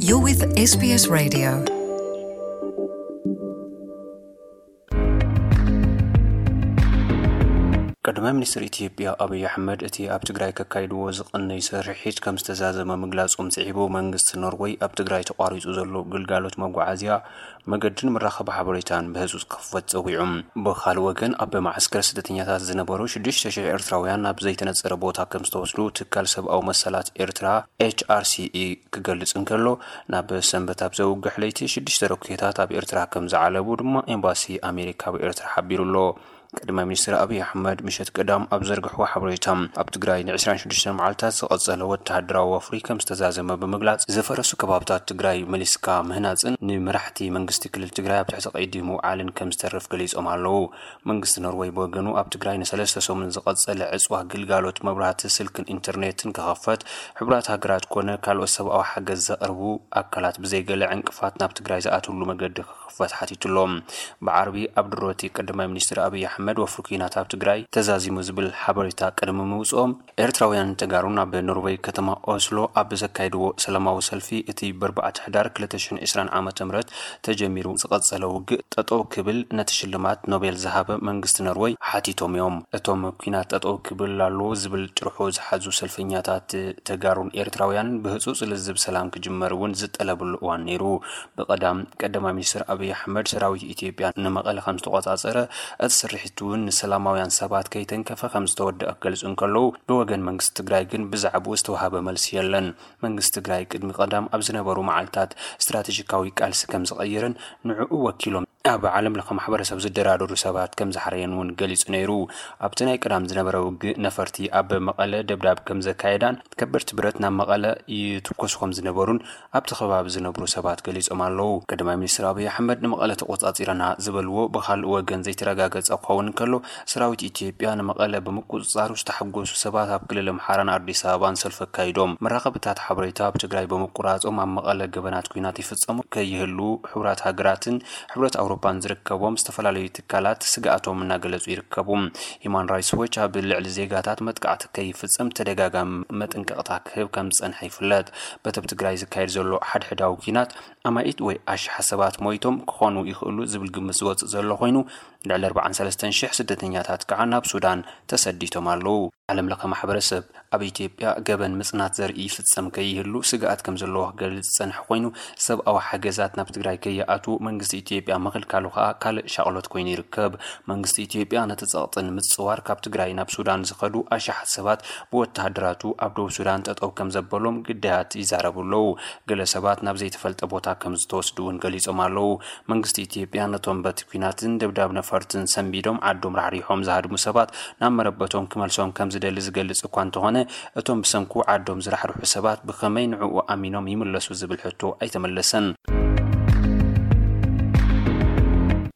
You're with S B S Radio. ቀዳማይ ሚኒስትር ኢትዮጵያ ኣብይ ኣሕመድ እቲ ኣብ ትግራይ ከካይድዎ ዝቐነዩ ስርሒት ከም ዝተዛዘመ ምግላጾም ስዒቡ፣ መንግስቲ ኖርወይ ኣብ ትግራይ ተቋሪጹ ዘሎ ግልጋሎት መጓዓዝያ፣ መገድን መራኸቢ ሓበሬታን ብህጹጽ ክኽፈት ጸዊዑ። ብኻልእ ወገን፣ ኣብ መዓስከር ስደተኛታት ዝነበሩ ሽዱሽተ ሽሕ ኤርትራውያን ናብ ዘይተነጸረ ቦታ ከም ዝተወስዱ ትካል ሰብኣዊ መሰላት ኤርትራ፣ ኤች ኣር ሲ ኢ፣ ክገልጽ እንከሎ፣ ናብ ሰንበት ኣብ ዘውግሕ ለይቲ ሽዱሽተ ሮኬታት ኣብ ኤርትራ ከም ዝዓለቡ ድማ ኤምባሲ ኣሜሪካ ኣብ ኤርትራ ሓቢሩ ኣሎ። ቀዳማይ ሚኒስትር ኣብይ ኣሕመድ ምሸት ቀዳም ኣብ ዘርግሕዎ ሓበሬታ፣ ኣብ ትግራይ ን ዕስራን ሽዱሽተን መዓልታት ዝቐጸለ ወተሃደራዊ ወፍሪ ከም ዝተዛዘመ ብምግላጽ፣ ዝፈረሱ ከባብታት ትግራይ መሊስካ ምህናጽን ንመራሕቲ መንግስቲ ክልል ትግራይ ኣብ ትሕቲ ቀይዲ ምውዓልን ከም ዝተርፍ ገሊጾም ኣለዉ። መንግስቲ ኖርወይ ብወገኑ፣ ኣብ ትግራይ ንሰለስተ ሰሙን ዝቐጸለ ዕጽዋ ግልጋሎት መብራህቲ፣ ስልክን ኢንተርኔትን ክኸፈት፣ ሕቡራት ሃገራት ኮነ ካልኦት ሰብኣዊ ሓገዝ ዘቕርቡ ኣካላት ብዘይገለ ዕንቅፋት ናብ ትግራይ ዝኣትውሉ መገዲ ክኽፈት ሓቲቱ ኣሎ። ብዓርቢ ኣብ ድሮ እቲ ቀዳማይ ሚኒስትር ኣብይ ኣሕመድ፣ ወፍሪ ኲናት ኣብ ትግራይ ተዛዚሙ ዝብል ሓበሬታ ቅድሚ ምውፅኦም፣ ኤርትራውያን ተጋሩ ናብ ኖርወይ ከተማ ኦስሎ ኣብ ዘካየድዎ ሰላማዊ ሰልፊ፣ እቲ ብኣርባዕተ ሕዳር ክልተ ሽሕን ዕስራን ዓመተ ምህረት ተጀሚሩ ዝቐጸለ ውግእ ጠጠው ክብል፣ ነቲ ሽልማት ኖቤል ዝሃበ መንግስቲ ኖርወይ ሓቲቶም እዮም። እቶም ኲናት ጠጠው ክብል ኣለዎ ዝብል ጭርሖ ዝሓዙ ሰልፈኛታት፣ ተጋሩን ኤርትራውያን ብህጹጽ ልዝብ ሰላም ክጅመር እውን ዝጠለብሉ እዋን ነይሩ። ብቐዳም ቀዳማይ ሚኒስትር ኣብይ ኣሕመድ፣ ሰራዊት ኢትዮጵያ ንመቐለ ከም ዝተቆጻጸረ፣ እቲ ስርሒት እውን ንሰላማውያን ሰባት ከይተንከፈ ከም ዝተወደአ ክገልጹ እንከለዉ፣ ብወገን መንግስቲ ትግራይ ግን ብዛዕባኡ ዝተዋህበ መልሲ የለን። መንግስቲ ትግራይ ቅድሚ ቀዳም ኣብ ዝነበሩ መዓልታት ስትራቴጂካዊ ቃልሲ ከም ዝቐየረን ንዕኡ ወኪሎም ኣብ ዓለም ለኸ ማሕበረሰብ ዝደራደሩ ሰባት ከም ዝሓረየን እውን ገሊጹ ነይሩ። ኣብቲ ናይ ቀዳም ዝነበረ ውግእ፣ ነፈርቲ ኣብ መቐለ ደብዳብ ከም ዘካየዳን ከበድቲ ብረት ናብ መቐለ ይትኮሱ ከም ዝነበሩን ኣብቲ ከባቢ ዝነብሩ ሰባት ገሊጾም ኣለዉ። ቀዳማይ ሚኒስትር ኣብይ ኣሕመድ ንመቐለ ተቆጻጺረና ዝበልዎ ብኻልእ ወገን ዘይተረጋገጸ ክኸውን እንከሎ፣ ሰራዊት ኢትዮጵያ ንመቐለ ብምቁጽጻሩ ዝተሓጎሱ ሰባት ኣብ ክልል ኣምሓራን ኣዲስ ኣበባን ሰልፊ ኣካይዶም። መራኸብታት ሓበሬታ ኣብ ትግራይ ብምቁራጾም፣ ኣብ መቐለ ገበናት ኲናት ይፍጸሙ ከይህሉ፣ ሕቡራት ሃገራትን ሕብረት ኣውሮፓን ዝርከቦም ዝተፈላለዩ ትካላት ስግኣቶም እናገለጹ ይርከቡ። ሂማን ራይትስ ዎች ኣብ ልዕሊ ዜጋታት መጥቃዕቲ ከይፍጸም ተደጋጋሚ መጠንቀቕታ ክህብ ከም ዝጸንሐ ይፍለጥ። በቲ ኣብ ትግራይ ዝካየድ ዘሎ ሓድሕዳዊ ኲናት፣ ኣማኢት ወይ ኣሽሓት ሰባት ሞይቶም ክኾኑ ይኽእሉ ዝብል ግምት ዝወጽእ ዘሎ ኮይኑ፣ ልዕሊ ኣርባዓን ሰለስተን ሽሕ ስደተኛታት ከዓ ናብ ሱዳን ተሰዲቶም ኣለዉ። ዓለም ለኸ ማሕበረሰብ ኣብ ኢትዮጵያ ገበን ምጽናት ዘርኢ ይፍጸም ከይህሉ ስግኣት ከም ዘለዎ ክገልጽ ዝጸንሐ ኮይኑ፣ ሰብኣዊ ሓገዛት ናብ ትግራይ ከይኣትዉ መንግስቲ ኢትዮጵያ ምኽልካሉ ከዓ ካልእ ሻቕሎት ኮይኑ ይርከብ። መንግስቲ ኢትዮጵያ ነቲ ጸቕጢ ንምጽዋር፣ ካብ ትግራይ ናብ ሱዳን ዝኸዱ ኣሽሓት ሰባት ብወተሃደራቱ ኣብ ደቡብ ሱዳን ጠጠው ከም ዘበሎም ግዳያት ይዛረቡ ኣለዉ። ገለ ሰባት ናብ ዘይተፈልጠ ቦታ ከም ዝተወስዱ እውን ገሊጾም ኣለዉ። መንግስቲ ኢትዮጵያ ነቶም በቲ ኲናትን ደብዳብ ነፈርትን ሰንቢዶም ዓዶም ራሕሪሖም ዝሃድሙ ሰባት ናብ መረበቶም ክመልሶም ከም ዝደሊ ዝገልጽ እኳ እንተኾነ፣ እቶም ብሰንኩ ዓዶም ዝራሕርሑ ሰባት ብኸመይ ንዕኡ ኣሚኖም ይምለሱ ዝብል ሕቶ ኣይተመለሰን።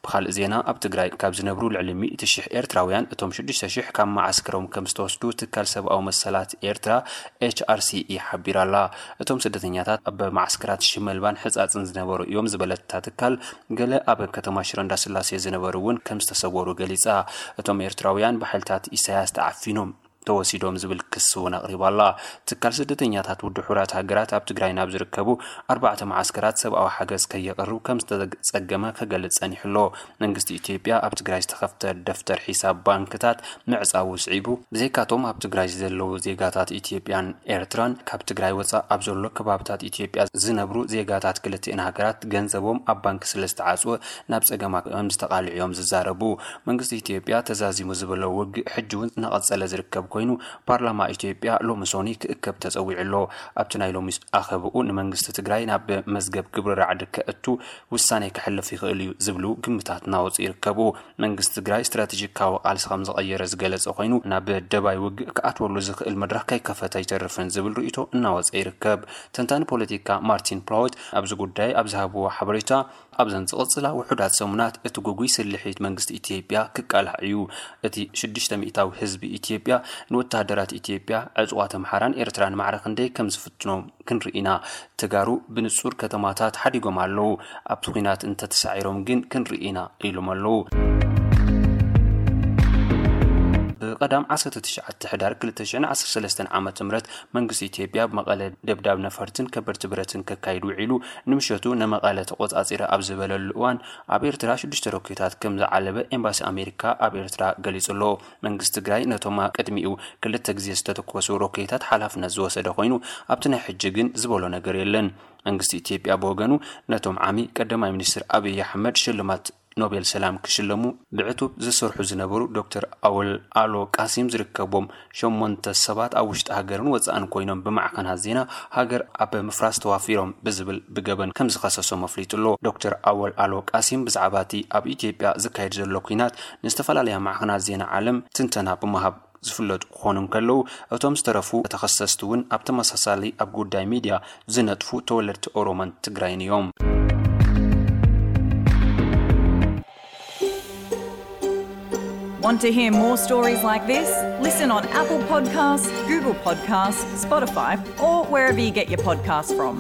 ብኻልእ ዜና፣ ኣብ ትግራይ ካብ ዝነብሩ ልዕሊ ሚእቲ ሽሕ ኤርትራውያን፣ እቶም ሽዱሽተ ሽሕ ካብ መዓስከሮም ከም ዝተወስዱ ትካል ሰብኣዊ መሰላት ኤርትራ፣ ኤች ኣር ሲ ኢ፣ ሓቢራ ኣላ። እቶም ስደተኛታት ኣብ መዓስከራት ሽመልባን ሕጻጽን ዝነበሩ እዮም ዝበለት እታ ትካል፣ ገለ ኣብ ከተማ ሽረ እንዳስላሴ ዝነበሩ እውን ከም ዝተሰወሩ ገሊጻ። እቶም ኤርትራውያን ብሓይልታት ኢሳያስ ተዓፊኖም ተወሲዶም ዝብል ክሲ እውን ኣቕሪባ ኣላ። ትካል ስደተኛታት ውድብ ሕቡራት ሃገራት ኣብ ትግራይ ናብ ዝርከቡ ኣርባዕተ መዓስከራት ሰብኣዊ ሓገዝ ከየቕርብ ከም ዝተጸገመ ክገልጽ ጸኒሑ ኣሎ። መንግስቲ ኢትዮጵያ ኣብ ትግራይ ዝተኸፍተ ደፍተር ሒሳብ ባንክታት ምዕጻዉ ስዒቡ፣ ብዘይካቶም ኣብ ትግራይ ዘለዉ ዜጋታት ኢትዮጵያን ኤርትራን፣ ካብ ትግራይ ወጻእ ኣብ ዘሎ ከባብታት ኢትዮጵያ ዝነብሩ ዜጋታት ክልቲኤን ሃገራት ገንዘቦም ኣብ ባንክ ስለ ዝተዓጽወ ናብ ጸገማት ከም ዝተቓልዑ እዮም ዝዛረቡ። መንግስቲ ኢትዮጵያ ተዛዚሙ ዝበሎ ውግእ ሕጂ እውን እናቐጸለ ዝርከብ ኮይኑ፣ ፓርላማ ኢትዮጵያ ሎሚ ሶኒ ክእከብ ተጸዊዑ ኣሎ። ኣብቲ ናይ ሎሚ ኣኸብኡ፣ ንመንግስቲ ትግራይ ናብ መዝገብ ግብሪ ራዕዲ ከእቱ ውሳኔ ከሕልፍ ይኽእል እዩ ዝብሉ ግምታት እናወፁ ይርከቡ። መንግስቲ ትግራይ ስትራቴጂካዊ ቃልሲ ከም ዝቐየረ ዝገለጸ ኮይኑ፣ ናብ ደባይ ውግእ ክኣትወሉ ዝኽእል መድረኽ ከይከፈተ ኣይተርፍን ዝብል ርእይቶ እናወፀ ይርከብ። ተንታኒ ፖለቲካ ማርቲን ፕላውት ኣብዚ ጉዳይ ኣብ ዝሃብዎ ሓበሬታ፣ ኣብዘን ዝቕጽላ ውሑዳት ሰሙናት እቲ ግጉይ ስልሒት መንግስቲ ኢትዮጵያ ክቃላዕ እዩ። እቲ ሽዱሽተ ሚእታዊ ህዝቢ ኢትዮጵያ ንወተሃደራት ኢትዮጵያ፣ ዕጹዋት ኣምሓራን ኤርትራን ማዕረ ክንደይ ከም ዝፍትኖም ክንርኢ ኢና። ተጋሩ ብንጹር ከተማታት ሓዲጎም ኣለዉ። ኣብቲ ኲናት እንተተሳዒሮም ግን ክንርኢ ኢና ኢሎም ኣለዉ። ቀዳም ዓሰርተ ትሽዓተ ሕዳር ክልተ ሽሕን ዓሰርተ ሰለስተን ዓመተ ምህረት መንግስቲ ኢትዮጵያ ኣብ መቐለ ደብዳብ ነፈርትን ከበድቲ ብረትን ከካይድ ውዒሉ፣ ንምሸቱ ንመቐለ ተቖጻጺረ ኣብ ዝበለሉ እዋን፣ ኣብ ኤርትራ ሽዱሽተ ሮኬታት ከም ዝዓለበ ኤምባሲ ኣሜሪካ ኣብ ኤርትራ ገሊጹ ኣሎ። መንግስቲ ትግራይ ነቶም ቅድሚኡ ክልተ ግዜ ዝተተኮሱ ሮኬታት ሓላፍነት ዝወሰደ ኮይኑ፣ ኣብቲ ናይ ሕጂ ግን ዝበሎ ነገር የለን። መንግስቲ ኢትዮጵያ ብወገኑ፣ ነቶም ዓሚ ቀዳማይ ሚኒስትር ኣብይ ኣሕመድ ሽልማት ኖቤል ሰላም ክሽለሙ ብዕቱብ ዝሰርሑ ዝነበሩ ዶክተር ኣወል ኣሎ ቃሲም ዝርከቦም ሸሞንተ ሰባት ኣብ ውሽጢ ሃገርን ወጻእን ኮይኖም ብማዕኸናት ዜና ሃገር ኣብ ምፍራስ ተዋፊሮም ብዝብል ብገበን ከም ዝኸሰሶም ኣፍሊጡ ኣሎ። ዶክተር ኣወል ኣሎ ቃሲም ብዛዕባ እቲ ኣብ ኢትዮጵያ ዝካየድ ዘሎ ኲናት ንዝተፈላለያ ማዕኸናት ዜና ዓለም ትንተና ብምሃብ ዝፍለጡ ክኾኑ እንከለዉ፣ እቶም ዝተረፉ ተኸሰስቲ እውን ኣብ ተመሳሳሊ ኣብ ጉዳይ ሚድያ ዝነጥፉ ተወለድቲ ኦሮሞን ትግራይን እዮም። Want to hear more stories like this? Listen on Apple Podcasts, Google Podcasts, Spotify, or wherever you get your podcasts from.